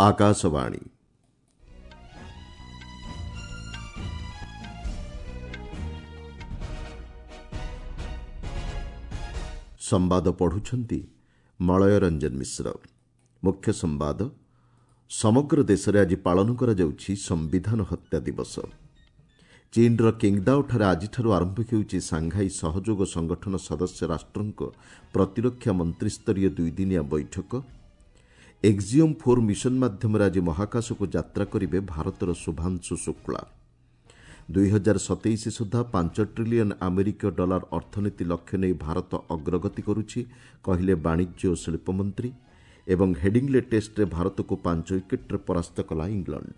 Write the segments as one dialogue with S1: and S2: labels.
S1: ଆକାଶବାଣୀ। ସମ୍ବାଦ ପଢ଼ୁଛନ୍ତି ମଳୟ ରଞ୍ଜନ ମିଶ୍ର। ମୁଖ୍ୟ ସମ୍ବାଦ। ସମଗ୍ର ଦେଶରେ ଆଜି ପାଳନ କରାଯାଉଛି ସମ୍ବିଧାନ ହତ୍ୟା ଦିବସ। ଚୀନର କିଙ୍ଗଦାଓଠାରେ ଆଜିଠାରୁ ଆରମ୍ଭ ହେଉଛି ସାଂଘାଇ ସହଯୋଗ ସଂଗଠନ ସଦସ୍ୟ ରାଷ୍ଟ୍ରଙ୍କ ପ୍ରତିରକ୍ଷା ମନ୍ତ୍ରୀସ୍ତରୀୟ ଦୁଇଦିନିଆ ବୈଠକ। ଏକ୍ଜିଓମ୍ 4 ମିଶନ ମାଧ୍ୟମରେ ଆଜି ମହାକାଶକୁ ଯାତ୍ରା କରିବେ ଭାରତର ଶୁଭାଂଶୁ ଶୁକ୍ଳା। 2027 ସୁଦ୍ଧା 5 ଟ୍ରିଲିୟନ୍ ଆମେରିକୀୟ ଡଲାର ଅର୍ଥନୀତି ଲକ୍ଷ୍ୟ ନେଇ ଭାରତ ଅଗ୍ରଗତି କରୁଛି, କହିଲେ ବାଣିଜ୍ୟ ଓ ଶିଳ୍ପମନ୍ତ୍ରୀ। ଏବଂ ହେଡିଂଲେ ଟେଷ୍ଟରେ ଭାରତକୁ 5 ୱିକେଟ୍ରେ ପରାସ୍ତ କଲା ଇଂଲଣ୍ଡ।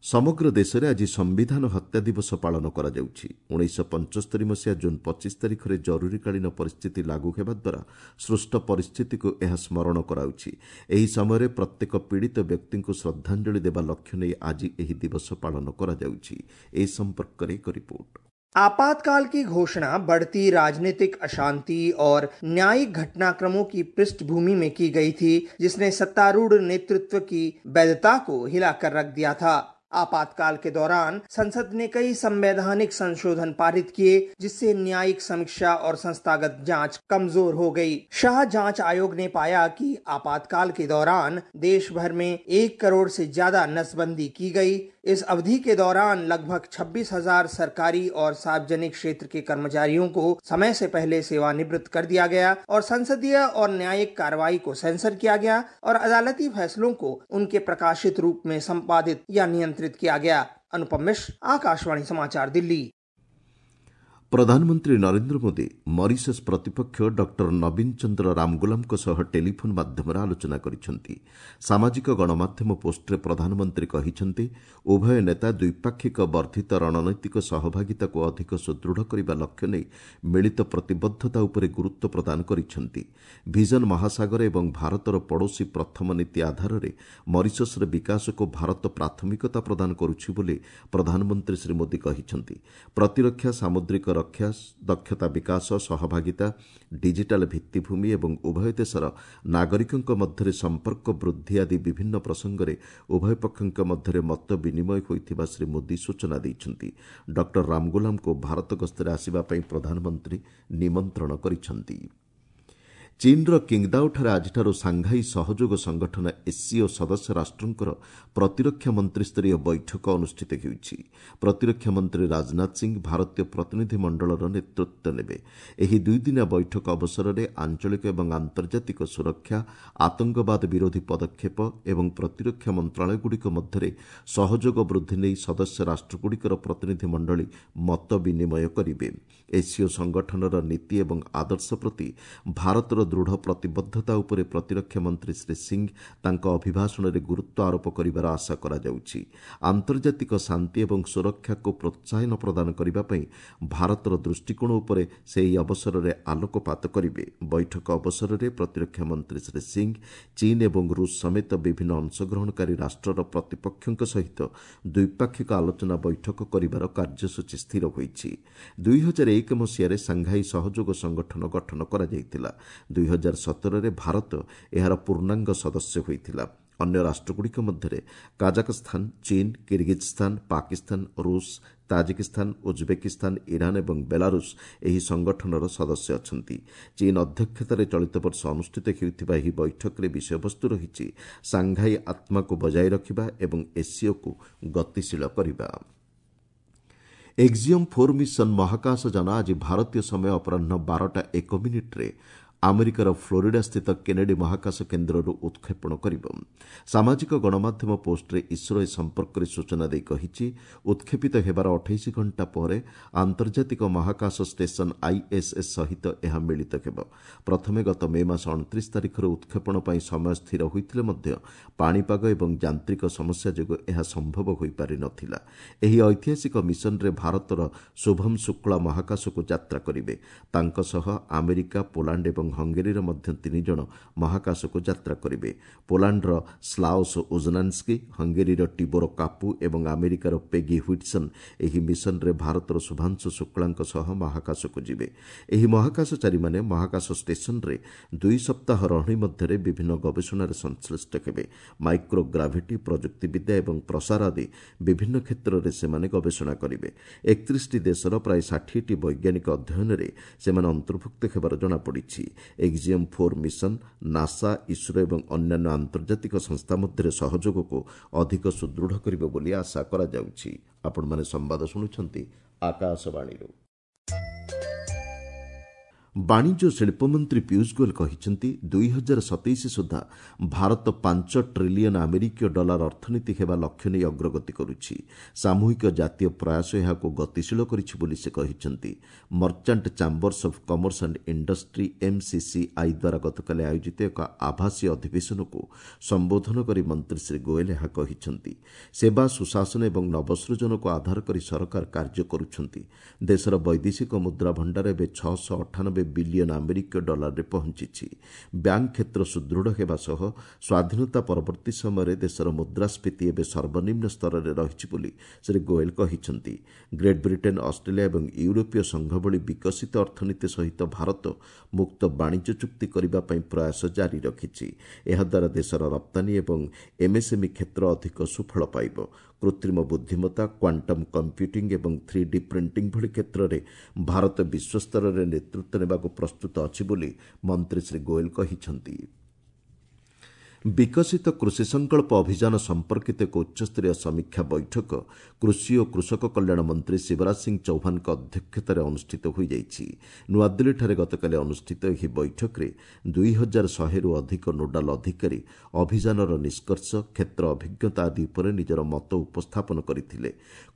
S1: ସମଗ୍ର ଦେଶରେ ଆଜି ସମ୍ବିଧାନ ହତ୍ୟା ଦିବସ ପାଳନ କରାଯାଉଛି। 1975 ମସିହା ଜୁନ୍ 25 ତାରିଖରେ ଜରୁରୀକାଳୀନ ପରିସ୍ଥିତି ଲାଗୁ ହେବା ଦ୍ୱାରା ସୃଷ୍ଟ ପରିସ୍ଥିତିକୁ ଏହା ସ୍ମରଣ କରାଉଛି। ଏହି ସମୟରେ ପ୍ରତ୍ୟେକ ପୀଡ଼ିତ ବ୍ୟକ୍ତିଙ୍କୁ ଶ୍ରଦ୍ଧାଞ୍ଜଳି ଦେବା ଲକ୍ଷ୍ୟ ନେଇ ଆଜି ଏହି ଦିବସ ପାଳନ କରାଯାଉଛି। ଏ ସମ୍ପର୍କରେ ଏକ ରିପୋର୍ଟ।
S2: आपातकाल की घोषणा बढ़ती राजनीतिक अशांति और न्यायिक घटनाक्रमों की पृष्ठभूमि में की गई थी, जिसने सत्तारूढ़ नेतृत्व की वैधता को हिलाकर रख दिया था। आपातकाल के दौरान संसद ने कई संवैधानिक संशोधन पारित किए, जिससे न्यायिक समीक्षा और संस्थागत जांच कमजोर हो गई। शाह जांच आयोग ने पाया कि आपातकाल के दौरान देश भर में 1 करोड़ से ज्यादा नसबंदी की गई। इस अवधि के दौरान लगभग 26,000 सरकारी और सार्वजनिक क्षेत्र के कर्मचारियों को समय से पहले सेवानिवृत्त कर दिया गया और संसदीय और न्यायिक कार्रवाई को सेंसर किया गया और अदालती फैसलों को उनके प्रकाशित रूप में संपादित या नियंत्रित किया गया। अनुपम मिश्र, आकाशवाणी समाचार, दिल्ली।
S1: ପ୍ରଧାନମନ୍ତ୍ରୀ ନରେନ୍ଦ୍ର ମୋଦି ମରିସସ୍ ପ୍ରତିପକ୍ଷ ଡକ୍ଟର ନବୀନ ଚନ୍ଦ୍ର ରାମଗୁଲାମଙ୍କ ସହ ଟେଲିଫୋନ୍ ମାଧ୍ୟମରେ ଆଲୋଚନା କରିଛନ୍ତି। ସାମାଜିକ ଗଣମାଧ୍ୟମ ପୋଷ୍ଟରେ ପ୍ରଧାନମନ୍ତ୍ରୀ କହିଛନ୍ତି, ଉଭୟ ନେତା ଦ୍ୱିପାକ୍ଷିକ ବର୍ଦ୍ଧିତ ରଣନୈତିକ ସହଭାଗିତାକୁ ଅଧିକ ସୁଦୃଢ଼ କରିବା ଲକ୍ଷ୍ୟ ନେଇ ମିଳିତ ପ୍ରତିବଦ୍ଧତା ଉପରେ ଗୁରୁତ୍ୱ ପ୍ରଦାନ କରିଛନ୍ତି। ଭିଜନ ମହାସାଗର ଏବଂ ଭାରତର ପଡ଼ୋଶୀ ପ୍ରଥମ ନୀତି ଆଧାରରେ ମରିସସ୍ର ବିକାଶକୁ ଭାରତ ପ୍ରାଥମିକତା ପ୍ରଦାନ କରୁଛି ବୋଲି ପ୍ରଧାନମନ୍ତ୍ରୀ ଶ୍ରୀ ମୋଦି କହିଛନ୍ତି। ପ୍ରତିରକ୍ଷା, ସାମୁଦ୍ରିକ ରକ୍ଷା, ଦକ୍ଷତା ବିକାଶ, ସହଭାଗିତା, ଡିଜିଟାଲ ଭିତ୍ତିଭୂମି ଏବଂ ଉଭୟ ଦେଶର ନାଗରିକଙ୍କ ମଧ୍ୟରେ ସମ୍ପର୍କ ବୃଦ୍ଧି ଆଦି ବିଭିନ୍ନ ପ୍ରସଙ୍ଗରେ ଉଭୟ ପକ୍ଷଙ୍କ ମଧ୍ୟରେ ମତ ବିନିମୟ ହୋଇଥିବା ଶ୍ରୀ ମୋଦି ସୂଚନା ଦେଇଛନ୍ତି। ଡକ୍ଟର ରାମଗୁଲାମଙ୍କୁ ଭାରତ ଗସ୍ତରେ ଆସିବା ପାଇଁ ପ୍ରଧାନମନ୍ତ୍ରୀ ନିମନ୍ତ୍ରଣ କରିଛନ୍ତି। ଚୀନର କିଙ୍ଗଦାଓଠାରେ ଆଜିଠାରୁ ସାଂଘାଇ ସହଯୋଗ ସଂଗଠନ ଏସ୍ସିଓ ସଦସ୍ୟ ରାଷ୍ଟ୍ରଙ୍କର ପ୍ରତିରକ୍ଷା ମନ୍ତ୍ରୀସ୍ତରୀୟ ବୈଠକ ଅନୁଷ୍ଠିତ ହେଉଛି। ପ୍ରତିରକ୍ଷା ମନ୍ତ୍ରୀ ରାଜନାଥ ସିଂ ଭାରତୀୟ ପ୍ରତିନିଧି ମଣ୍ଡଳର ନେତୃତ୍ୱ ନେବେ। ଏହି ଦୁଇଦିନିଆ ବୈଠକ ଅବସରରେ ଆଞ୍ଚଳିକ ଏବଂ ଆନ୍ତର୍ଜାତିକ ସୁରକ୍ଷା, ଆତଙ୍କବାଦ ବିରୋଧୀ ପଦକ୍ଷେପ ଏବଂ ପ୍ରତିରକ୍ଷା ମନ୍ତ୍ରଣାଳୟଗୁଡ଼ିକ ମଧ୍ୟରେ ସହଯୋଗ ବୃଦ୍ଧି ନେଇ ସଦସ୍ୟ ରାଷ୍ଟ୍ରଗୁଡ଼ିକର ପ୍ରତିନିଧି ମଣ୍ଡଳୀ ମତ ବିନିମୟ କରିବେ। ଏସ୍ସିଓ ସଂଗଠନର ନୀତି ଏବଂ ଆଦର୍ଶ ପ୍ରତି ଭାରତର ଦୃଢ଼ ପ୍ରତିବଦ୍ଧତା ଉପରେ ପ୍ରତିରକ୍ଷା ମନ୍ତ୍ରୀ ଶ୍ରୀ ସିଂ ତାଙ୍କ ଅଭିଭାଷଣରେ ଗୁରୁତ୍ୱ ଆରୋପ କରିବାର ଆଶା କରାଯାଉଛି। ଆନ୍ତର୍ଜାତିକ ଶାନ୍ତି ଏବଂ ସୁରକ୍ଷାକୁ ପ୍ରୋତ୍ସାହନ ପ୍ରଦାନ କରିବା ପାଇଁ ଭାରତର ଦୃଷ୍ଟିକୋଣ ଉପରେ ସେ ଏହି ଅବସରରେ ଆଲୋକପାତ କରିବେ। ବୈଠକ ଅବସରରେ ପ୍ରତିରକ୍ଷା ମନ୍ତ୍ରୀ ଶ୍ରୀ ସିଂ ଚୀନ ଏବଂ ରୁଷ ସମେତ ବିଭିନ୍ନ ଅଂଶଗ୍ରହଣକାରୀ ରାଷ୍ଟ୍ରର ପ୍ରତିପକ୍ଷଙ୍କ ସହିତ ଦ୍ୱିପାକ୍ଷିକ ଆଲୋଚନା ବୈଠକ କରିବାର କାର୍ଯ୍ୟସୂଚୀ ସ୍ଥିର ହୋଇଛି। 2001 ମସିହାରେ ସାଂଘାଇ ସହଯୋଗ ସଂଗଠନ ଗଠନ କରାଯାଇଥିଲା। 2017ରେ ଭାରତ ଏହାର ପୂର୍ଣ୍ଣାଙ୍ଗ ସଦସ୍ୟ ହୋଇଥିଲା। ଅନ୍ୟ ରାଷ୍ଟ୍ରଗୁଡ଼ିକ ମଧ୍ୟରେ କାଜାକସ୍ଥାନ, ଚୀନ, କିର୍ଗିଜସ୍ଥାନ, ପାକିସ୍ତାନ, ରୁଷ, ତାଜିକିସ୍ତାନ, ଉଜବେକିସ୍ତାନ, ଇରାନ ଏବଂ ବେଲାରୁଷ ଏହି ସଂଗଠନର ସଦସ୍ୟ ଅଛନ୍ତି। ଚୀନ ଅଧ୍ୟକ୍ଷତାରେ ଚଳିତ ବର୍ଷ ଅନୁଷ୍ଠିତ ହେଉଥିବା ଏହି ବୈଠକରେ ବିଷୟବସ୍ତୁ ରହିଛି ସାଂଘାଇ ଆତ୍ମାକୁ ବଜାୟ ରଖିବା ଏବଂ ଏସ୍ସିଓକୁ ଗତିଶୀଳ କରିବା। ଏକ୍ଜିଓମ୍ 4 ମିଶନ ମହାକାଶ ଯାନ ଆଜି ଭାରତୀୟ ସମୟ ଅପରାହ୍ନ 12ଟା 1 ମିନିଟ୍ରେ ଆମେରିକାର ଫ୍ଲୋରିଡା ସ୍ଥିତ କେନେଡି ମହାକାଶ କେନ୍ଦ୍ରରୁ ଉତ୍କ୍ଷେପଣ କରିବ। ସାମାଜିକ ଗଣମାଧ୍ୟମ ପୋଷ୍ଟରେ ଇସ୍ରୋ ଏ ସମ୍ପର୍କରେ ସୂଚନା ଦେଇ କହିଛି, ଉତ୍କ୍ଷେପିତ ହେବାର 28 ଘଣ୍ଟା ପରେ ଆନ୍ତର୍ଜାତିକ ମହାକାଶ ଷ୍ଟେସନ ଆଇଏସ୍ଏସ୍ ସହିତ ଏହା ମିଳିତ ହେବ। ପ୍ରଥମେ ଗତ ମେ ମାସ 29 ତାରିଖରେ ଉତ୍କ୍ଷେପଣ ପାଇଁ ସମୟ ସ୍ଥିର ହୋଇଥିଲେ ମଧ୍ୟ ପାଣିପାଗ ଏବଂ ଯାନ୍ତ୍ରିକ ସମସ୍ୟା ଯୋଗୁଁ ଏହା ସମ୍ଭବ ହୋଇପାରି ନ ଥିଲା। ଏହି ଐତିହାସିକ ମିଶନରେ ଭାରତର ଶୁଭମ ଶୁକ୍ଳା ମହାକାଶକୁ ଯାତ୍ରା କରିବେ। ତାଙ୍କ ସହ ଆମେରିକା, ପୋଲାଣ୍ଡ ଏବଂ ହଙ୍ଗେରୀର ମଧ୍ୟ 3 ଜଣ ମହାକାଶକୁ ଯାତ୍ରା କରିବେ। ପୋଲାଣ୍ଡର ସ୍ଲାଓସ୍ ଉଜନାନ୍ସ୍କି, ହଙ୍ଗେରୀର ଟିବୋର କାପୁ ଏବଂ ଆମେରିକାର ପେଗି ହ୍ୱିଟ୍ସନ୍ ଏହି ମିଶନରେ ଭାରତର ଶୁଭାଂଶୁ ଶୁକ୍ଳାଙ୍କ ସହ ମହାକାଶକୁ ଯିବେ। ଏହି ମହାକାଶଚାରୀମାନେ ମହାକାଶ ଷ୍ଟେସନରେ 2 ସପ୍ତାହ ରହଣି ମଧ୍ୟରେ ବିଭିନ୍ନ ଗବେଷଣାରେ ସଂଶ୍ଳିଷ୍ଟ ହେବେ। ମାଇକ୍ରୋଗ୍ରାଭିଟି, ପ୍ରଯୁକ୍ତିବିଦ୍ୟା ଏବଂ ପ୍ରସାର ଆଦି ବିଭିନ୍ନ କ୍ଷେତ୍ରରେ ସେମାନେ ଗବେଷଣା କରିବେ। 31ଟି ଦେଶର ପ୍ରାୟ 60ଟି ବୈଜ୍ଞାନିକ ଅଧ୍ୟୟନରେ ସେମାନେ ଅନ୍ତର୍ଭୁକ୍ତ ହେବାର ଜଣାପଡ଼ିଛି। ଏକ୍ଜିୟମ୍ 4 ମିଶନ ନାସା, ଇସ୍ରୋ ଏବଂ ଅନ୍ୟାନ୍ୟ ଆନ୍ତର୍ଜାତିକ ସଂସ୍ଥା ମଧ୍ୟରେ ସହଯୋଗକୁ ଅଧିକ ସୁଦୃଢ଼ କରିବ ବୋଲି ଆଶା କରାଯାଉଛି। ଆପଣମାନେ ସମ୍ବାଦ ଶୁଣୁଛନ୍ତି ଆକାଶବାଣୀରୁ। ବାଣିଜ୍ୟ ଶିଳ୍ପମନ୍ତ୍ରୀ ପୀୟୁଷ ଗୋଏଲ କହିଛନ୍ତି, 2027 ସୁଦ୍ଧା ଭାରତ 5 ଟ୍ରିଲିୟନ ଆମେରିକୀୟ ଡଲାର ଅର୍ଥନୀତି ହେବା ଲକ୍ଷ୍ୟ ନେଇ ଅଗ୍ରଗତି କରୁଛି। ସାମୂହିକ ଜାତୀୟ ପ୍ରୟାସ ଏହାକୁ ଗତିଶୀଳ କରିଛି ବୋଲି ସେ କହିଛନ୍ତି। Merchant chambers of commerce and industry MCCI ଦ୍ୱାରା ଗତକାଲି ଆୟୋଜିତ ଏକ ଆଭାସୀ ଅଧିବେଶନକୁ ସମ୍ବୋଧନ କରି ମନ୍ତ୍ରୀ ଶ୍ରୀ ଗୋଏଲ ଏହା କହିଛନ୍ତି। ସେବା, ସୁଶାସନ ଏବଂ ନବସୃଜନକୁ ଆଧାର କରି ସରକାର କାର୍ଯ୍ୟ କରୁଛନ୍ତି। ଦେଶର ବୈଦେଶିକ ମୁଦ୍ରା ଭଣ୍ଡାର ଏବେ 698 ବିଲିୟନ ଆମେରିକୀୟ ଡଲାରରେ ପହଞ୍ଚିଛି। ବ୍ୟାଙ୍କ କ୍ଷେତ୍ର ସୁଦୃଢ଼ ହେବା ସହ ସ୍ୱାଧୀନତା ପରବର୍ତ୍ତୀ ସମୟରେ ଦେଶର ମୁଦ୍ରାସ୍ଫୀତି ଏବେ ସର୍ବନିମ୍ନ ସ୍ତରରେ ରହିଛି ବୋଲି ଶ୍ରୀ ଗୋଏଲ କହିଛନ୍ତି। ଗ୍ରେଟ୍ ବ୍ରିଟେନ୍, ଅଷ୍ଟ୍ରେଲିଆ ଏବଂ ୟୁରୋପୀୟ ସଂଘ ଭଳି ବିକଶିତ ଅର୍ଥନୀତି ସହିତ ଭାରତ ମୁକ୍ତ ବାଣିଜ୍ୟ ଚୁକ୍ତି କରିବା ପାଇଁ ପ୍ରୟାସ ଜାରି ରଖିଛି। ଏହାଦ୍ୱାରା ଦେଶର ରପ୍ତାନୀ ଏବଂ ଏମ୍ଏସ୍ଏମ୍ଇ କ୍ଷେତ୍ର ଅଧିକ ସୁଫଳ ପାଇବ। କୃତ୍ରିମ ବୁଦ୍ଧିମତ୍ତା, କ୍ୱାଣ୍ଟମ୍ କମ୍ପ୍ୟୁଟିଂ ଏବଂ 3D printing ଭଳି କ୍ଷେତ୍ରରେ ଭାରତ ବିଶ୍ୱସ୍ତରରେ ନେତୃତ୍ୱ ନେବାକୁ ପ୍ରସ୍ତୁତ ଅଛି ବୋଲି ମନ୍ତ୍ରୀ ଶ୍ରୀ ଗୋଏଲ କହିଛନ୍ତି। ବିକଶିତ କୃଷି ସଂକଳ୍ପ ଅଭିଯାନ ସମ୍ପର୍କିତ ଏକ ଉଚ୍ଚସ୍ତରୀୟ ସମୀକ୍ଷା ବୈଠକ କୃଷି ଓ କୃଷକ କଲ୍ୟାଣ ମନ୍ତ୍ରୀ ଶିବରାଜ ସିଂ ଚୌହାନଙ୍କ ଅଧ୍ୟକ୍ଷତାରେ ଅନୁଷ୍ଠିତ ହୋଇଯାଇଛି। ନୂଆଦିଲ୍ଲୀଠାରେ ଗତକାଲି ଅନୁଷ୍ଠିତ ଏହି ବୈଠକରେ 2100ରୁ ଅଧିକ ନୋଡାଲ ଅଧିକାରୀ ଅଭିଯାନର ନିଷ୍କର୍ଷ, କ୍ଷେତ୍ର ଅଭିଜ୍ଞତା ଆଦି ଉପରେ ନିଜର ମତ ଉପସ୍ଥାପନ କରିଥିଲେ।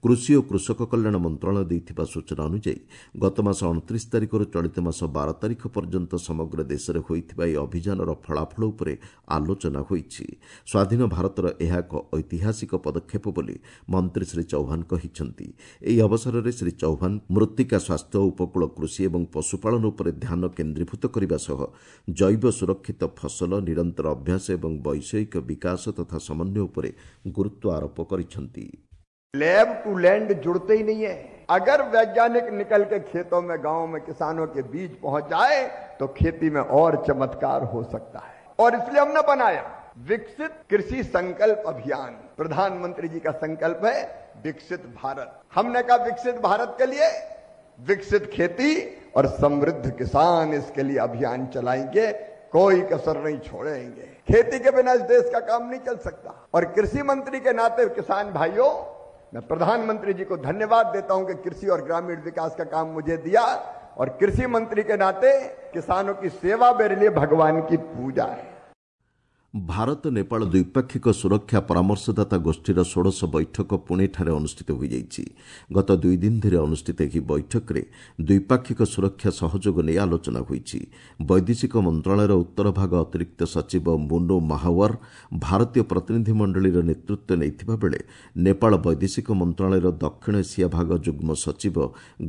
S1: କୃଷି ଓ କୃଷକ କଲ୍ୟାଣ ମନ୍ତ୍ରଣାଳୟ ଦେଇଥିବା ସୂଚନା ଅନୁଯାୟୀ ଗତମାସ 29 ତାରିଖରୁ ଚଳିତ ମାସ 12 ତାରିଖ ପର୍ଯ୍ୟନ୍ତ ସମଗ୍ର ଦେଶରେ ହୋଇଥିବା ଏହି ଅଭିଯାନର ଫଳାଫଳ ଉପରେ ଆଲୋଚନା ହୋଇଛି। ସ୍ୱାଧୀନ ଭାରତର ଏହା ଏକ ଐତିହାସିକ ପଦକ୍ଷେପ ବୋଲି ମନ୍ତ୍ରୀ ଶ୍ରୀ ଚୌହାନ କହିଛନ୍ତି। ଏହି ଅବସରରେ ଶ୍ରୀ ଚୌହାନ ମୃତ୍ତିକା ସ୍ୱାସ୍ଥ୍ୟ, ଉପକୂଳ କୃଷି ଏବଂ ପଶୁପାଳନ ଉପରେ ଧ୍ୟାନ କେନ୍ଦ୍ରୀଭୂତ କରିବା ସହ ଜୈବ ସୁରକ୍ଷିତ ଫସଲ, ନିରନ୍ତର ଅଭ୍ୟାସ ଏବଂ ବୈଷୟିକ ବିକାଶ ତଥା ସମନ୍ୱୟ ଉପରେ ଗୁରୁତ୍ୱ ଆରୋପ କରିଛନ୍ତି।
S3: लैब टू लैंड जुड़ते ही नहीं है। अगर वैज्ञानिक निकल के खेतों में, गांव में किसानों के बीच पहुंच जाए तो खेती में और चमत्कार हो सकता है। और इसलिए हमने बनाया विकसित कृषि संकल्प अभियान। प्रधानमंत्री जी का संकल्प है विकसित भारत। हमने कहा विकसित भारत के लिए विकसित खेती और समृद्ध किसान, इसके लिए अभियान चलाएंगे, कोई कसर नहीं छोड़ेंगे। खेती के बिना इस देश का काम नहीं चल सकता। और कृषि मंत्री के नाते किसान भाइयों, मैं प्रधानमंत्री जी को धन्यवाद देता हूं कि कृषि और ग्रामीण विकास का काम मुझे दिया। और कृषि मंत्री के नाते किसानों की सेवा मेरे लिए भगवान की पूजा है।
S1: ଭାରତ ନେପାଳ ଦ୍ୱିପାକ୍ଷିକ ସୁରକ୍ଷା ପରାମର୍ଶଦାତା ଗୋଷ୍ଠୀର ଷୋଡ଼ଶ ବୈଠକ ପୁଣେଠାରେ ଅନୁଷ୍ଠିତ ହୋଇଯାଇଛି। ଗତ 2 ଦିନ ଧରି ଅନୁଷ୍ଠିତ ଏହି ବୈଠକରେ ଦ୍ୱିପାକ୍ଷିକ ସୁରକ୍ଷା ସହଯୋଗ ନେଇ ଆଲୋଚନା ହୋଇଛି। ବୈଦେଶିକ ମନ୍ତ୍ରଣାଳୟର ଉତ୍ତର ଭାଗ ଅତିରିକ୍ତ ସଚିବ ମୁନୁ ମାହାୱାର ଭାରତୀୟ ପ୍ରତିନିଧିମଣ୍ଡଳୀର ନେତୃତ୍ୱ ନେଇଥିବା ବେଳେ ନେପାଳ ବୈଦେଶିକ ମନ୍ତ୍ରଣାଳୟର ଦକ୍ଷିଣ ଏସିଆ ଭାଗ ଯୁଗ୍ମ ସଚିବ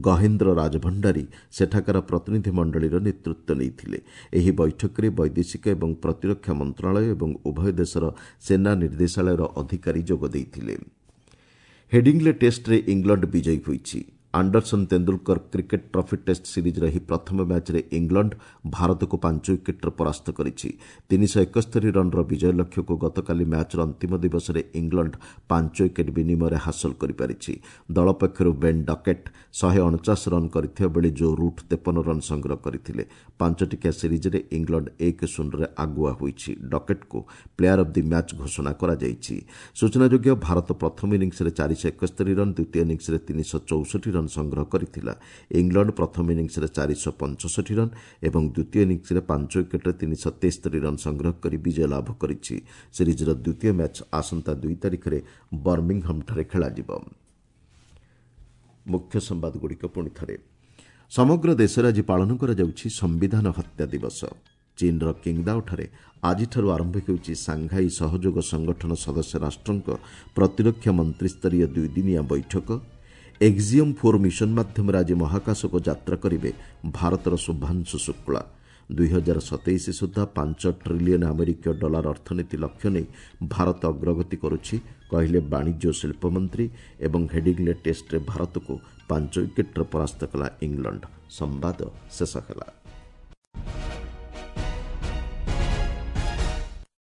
S1: ଗହେନ୍ଦ୍ର ରାଜଭଣ୍ଡାରୀ ସେଠାକାର ପ୍ରତିନିଧିମଣ୍ଡଳୀର ନେତୃତ୍ୱ ନେଇଥିଲେ। ଏହି ବୈଠକରେ ବୈଦେଶିକ ଏବଂ ପ୍ରତିରକ୍ଷା ମନ୍ତ୍ରଣାଳୟ ଏବଂ ଉଭୟ ଦେଶର ସେନା ନିର୍ଦ୍ଦେଶାଳୟର ଅଧିକାରୀ ଯୋଗ ଦେଇଥିଲେ। ହେଡିଂଲେ ଟେଷ୍ଟରେ ଇଂଲଣ୍ଡ ବିଜୟୀ ହୋଇଛି। Anderson Tendulkar cricket trophy test ସିରିଜ୍ର ଏହି ପ୍ରଥମ ମ୍ୟାଚ୍ରେ ଇଂଲଣ୍ଡ ଭାରତକୁ 5 ୱିକେଟ୍ରେ ପରାସ୍ତ କରିଛି। 371 ରନ୍ର ବିଜୟ ଲକ୍ଷ୍ୟକୁ ଗତକାଲି ମ୍ୟାଚ୍ର ଅନ୍ତିମ ଦିବସରେ ଇଂଲଣ୍ଡ 5 ୱିକେଟ୍ ବିନିମୟରେ ହାସଲ କରିପାରିଛି। ଦଳ ପକ୍ଷରୁ ବେନ୍ ଡକେଟ୍ 149 ରନ୍ କରିଥିବା ବେଳେ ଜୋ ରୁଟ୍ 53 ରନ୍ ସଂଗ୍ରହ କରିଥିଲେ। 5 ଟିକିଆ ସିରିଜ୍ରେ ଇଂଲଣ୍ଡ 1-0ରେ ଆଗୁଆ ହୋଇଛି। ଡକେଟ୍କୁ ପ୍ଲେୟାର ଅଫ୍ the match ଘୋଷଣା କରାଯାଇଛି। ସୂଚନାଯୋଗ୍ୟ, ଭାରତ ପ୍ରଥମ ଇନିଂସରେ 471 ରନ୍, ଦ୍ୱିତୀୟ ଇନିଂସରେ 364 ରନ୍ ସଂଗ୍ରହ କରିଥିଲା। ଇଂଲଣ୍ଡ ପ୍ରଥମ ଇନିଂସରେ 465 ରନ୍ ଏବଂ ଦ୍ୱିତୀୟ ଇନିଂସରେ 5 ୱିକେଟ୍ରେ 373 ରନ୍ ସଂଗ୍ରହ କରି ବିଜୟ ଲାଭ କରିଛି। ସିରିଜ୍ର ଦ୍ୱିତୀୟ ମ୍ୟାଚ୍ ଆସନ୍ତା 2 ତାରିଖରେ ବର୍ମିଂହାମ୍ଠାରେ ଖେଳାଯିବ। ମୁଖ୍ୟ ସମ୍ବାଦଗୁଡ଼ିକ ପୁଣି ଥରେ। ସମଗ୍ର ଦେଶରେ ଆଜି ପାଳନ କରାଯାଉଛି ସମ୍ବିଧାନ ହତ୍ୟା ଦିବସ। ଚୀନ୍ର କିଙ୍ଗଦାଓଠାରେ ଆଜିଠାରୁ ଆରମ୍ଭ ହେଉଛି ସାଂଘାଇ ସହଯୋଗ ସଂଗଠନ ସଦସ୍ୟ ରାଷ୍ଟ୍ରଙ୍କ ପ୍ରତିରକ୍ଷା ମନ୍ତ୍ରୀସ୍ତରୀୟ 2 ଦିନିଆ ବୈଠକ। ଏକ୍ଜିୟମ୍ 4 ମିଶନ ମାଧ୍ୟମରେ ଆଜି ମହାକାଶକୁ ଯାତ୍ରା କରିବେ ଭାରତର ଶୁଭାଂଶୁ ଶୁକ୍ଳା। 2027 ସୁଦ୍ଧା 5 ଟ୍ରିଲିୟନ୍ ଆମେରିକୀୟ ଡଲାର ଅର୍ଥନୀତି ଲକ୍ଷ୍ୟ ନେଇ ଭାରତ ଅଗ୍ରଗତି କରୁଛି, କହିଲେ ବାଣିଜ୍ୟ ଓ ଶିଳ୍ପମନ୍ତ୍ରୀ। ଏବଂ ହେଡିଂଲେ ଟେଷ୍ଟରେ ଭାରତକୁ 5 ୱିକେଟ୍ରେ ପରାସ୍ତ କଲା ଇଂଲଣ୍ଡ। ସମ୍ବାଦ ଶେଷ ହେଲା।